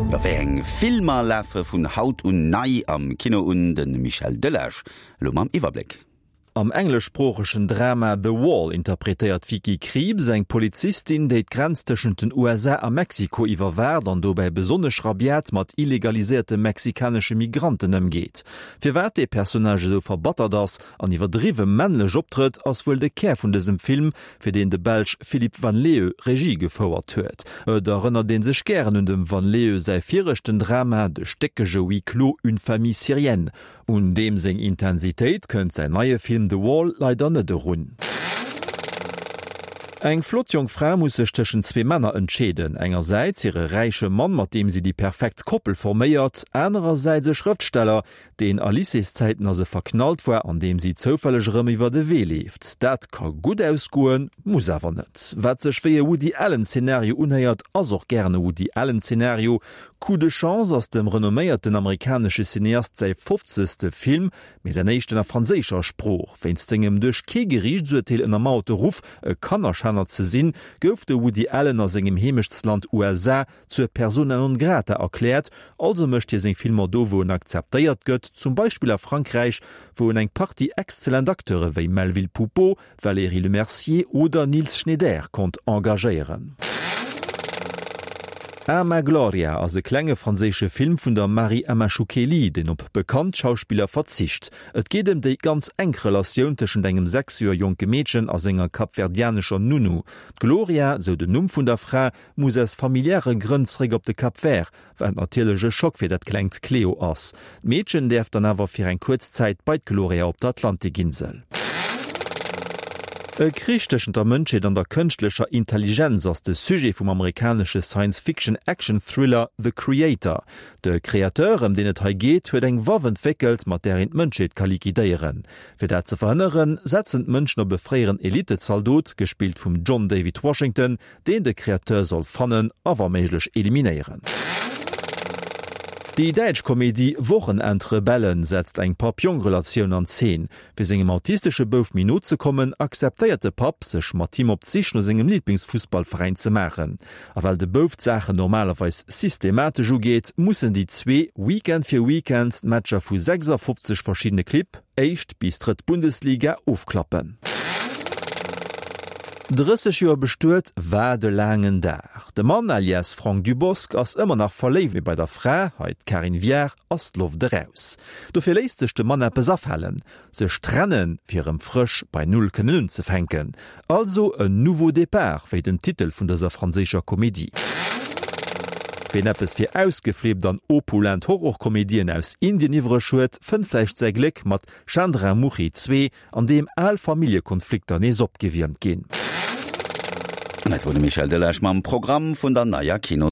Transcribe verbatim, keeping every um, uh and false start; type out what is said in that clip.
Jo, wéi eng Filmer lafe vun haut un nei am Kino un? De Michel Delage elo mam Iwwerbléck. Am engleschsproochegen Drama The Wall interpretéiert d'Vicky Krieps eng Polizistin, déi d'Grenz tëschent den U S A a Mexiko iwwerwaacht an dobäi besonnesch rabiat mat illegaliséierte mexikanesche Migranten ëmgeet. Firwat dee Personnage esou verbattert ass an iwwerdriwwe männlech optrëtt, ass wuel de Kär vun dësem Film, fir deen de Belsch Philippe Van Leeuw Regie gefouert huet. Et erënnert ee sech gären un dem Van Leeuw säi viregten Drama, de stéckege Huis clos Une famille syrienne. Un deem seng Intensitéit kënnt säin neie Film The Wall leider net erun. Eng flott jonk Fra muss sech tëschent zwee Männer entscheeden, engersäits hire räiche Mann, mat deem si déi perfekt Koppel forméiert, anerersäits e Schrëftsteller, deen a Lycéeszäiten a se verknallt war an deem si zoufälleg erëm iwwer de Wee leeft. Dat ka gutt ausgoen, muss awer net. Wat sech wéi e Woody Allen-Zenario unhéiert, ass och gären e Woody Allen-Zenario. Coup de chance ass dem renomméierten amerikanesche Cineast säi fofzegste Film, mee säin éischten a franséischer Sprooch. Wéinst sengem duerch kee Geriichtsurteel ënnermauerte Ruff, e Kannerschänner ze sinn, gouf de Woody Allen a sengem Heemechtsland U S A zur persona non grata erkläert, also mécht hie seng Filmer do, wou en akzeptéiert gëtt, zum Beispill a Frankräich, wou en eng Partie exzellent Acteure wéi Melvil Poupaud, Valérie Lemercier oder Niels Schneider konnt engagéieren. Ama Gloria ass e klenge franséische Film vun der Marie Amachoukeli, deen op bekannt Schauspiller verzicht. Et geet ëm déi ganz enk Relatioun tëschent engem sechs Joer jonke Meedchen a senger kapverdianescher Nounou. D'Gloria, sou den Numm vun der Fra, muss aus familiäre Grënn zeréck op de Cap Vert, wat natierlech e Schock fir dat klengt Cleo ass. D'Meedchen däerf dann awer fir eng kuerz Zäit bei d'Gloria op der Atlantikinsel. E Krich tëschent der Mënschheet an der kënschtlecher Intelligenz ass de Sujet vum amerikanesche Science-Fiction-Action-Thriller The Creator. De Créateur, ëm deen et hei geet, huet eng Waff entwéckelt, mat där een d'Mënschheet ka liquidéieren. Fir dat ze verhënneren, setzen d'Mënschen op e fréieren Elite-Zaldot, gespillt vum John David Washington, deen de Créateur soll fannen a wa méiglech eliminéieren. Déi däitsch Komedie Wochenendrebellen setzt eng Papp-Jong-Relatioun an Zeen. Fir sengem autistesche Bouf méi no ze kommen, akzeptéiert de Papp, sech mat him op d'Sich no sengem Liblingsfussballveräin ze maachen. A well de Bouf d'Saachen normalerweis systematesch ugeet, mussen déi zwee Weekend fir Weekend d'Matcher vu sechsafofzeg verschiddene Clibb, éischt bis drëtt Bundesliga, ofklappen. Drësseg Joer bestuet, wat e laangen Dag. De Mann alias Franck Dubosc ass ëmmer nach verléift, mee bei der Fra, hei d'Karin Viard, ass d'Loft eraus. Dofir léisst sech de Mann eppes afalen, sech trennen, fir erëm frësch bei Null kënnen unzefänken. Also en nouveau départ, wéi den Titel vun dëser franséischer Komedie. Ween eppes fir ausgeflippt an opulent Horrorkomedien aus Indien iwwreg huet, fënnt vläicht säi Gléck mat Chandramukhi zwee, an deem al Familljekonflikter nees opgewiermt ginn. An dat wor de Michel Delage mam Programm vun der neier Kino.